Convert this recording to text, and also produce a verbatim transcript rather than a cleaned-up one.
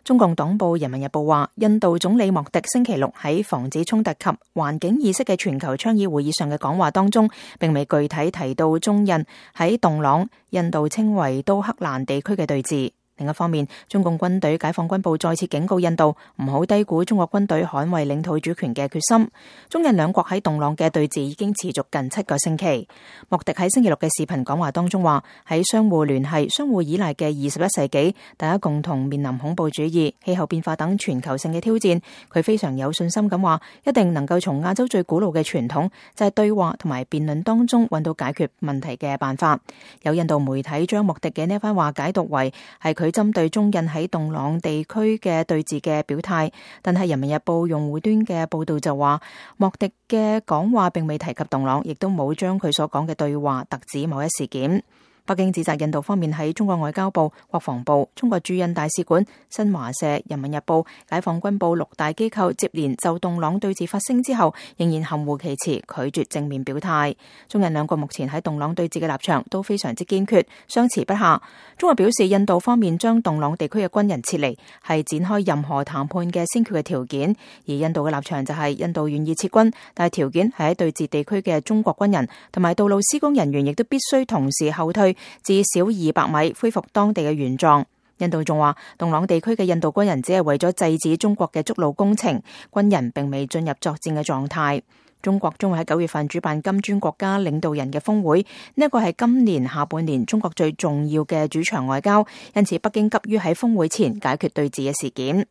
中共黨報《人民日報》話，印度總理莫迪星期六喺防止衝突及環境意識嘅全球倡議會議上嘅講話當中，並未具體提到中印喺洞朗（印度稱為都克蘭地區）嘅對峙。另一方面，中共軍隊解放軍部再次警告印度唔好低估中國軍隊捍衛領土主權嘅決心。中印兩國喺洞朗嘅對峙已經持續近七個星期。莫迪喺星期六嘅視頻講話當中話，喺相互聯繫、相互依賴嘅二十一世紀，大家共同面臨恐怖主義、氣候變化等全球性嘅挑戰。佢非常有信心咁話，一定能夠從亞洲最古老嘅傳統，就係對話同埋辯論當中揾到解決問題嘅辦法。有印度媒體將莫迪嘅呢番話解讀為係佢佢針對中印喺洞朗地區嘅對峙嘅表態，但係《人民日報》用戶端嘅報道就話，莫迪嘅講話並未提及洞朗，亦都冇將佢所講嘅對話特指某一事件。北京指責印度方面喺中國外交部、國防部、中國駐印大使館、新華社、人民日報、解放軍部六大機構接連就洞朗對峙發聲之後，仍然含糊其辭，拒絕正面表態。中印兩國目前喺洞朗對峙嘅立場都非常之堅決，相持不下。中國表示，印度方面將洞朗地區嘅軍人撤離係展開任何談判嘅先決嘅條件，而印度嘅立場就係印度願意撤軍，但係條件係喺對峙地區嘅中國軍人同埋道路施工人員亦都必須同時後退至少二百米，恢復當地嘅原狀。印度仲話，洞朗地區嘅印度軍人只係為咗制止中國嘅築路工程，軍人並未進入作戰嘅狀態。中國將會喺九月份主辦金磚國家領導人嘅峰會，呢一個係今年下半年中國最重要嘅主場外交，因此北京急於喺峰會前解決對峙嘅事件。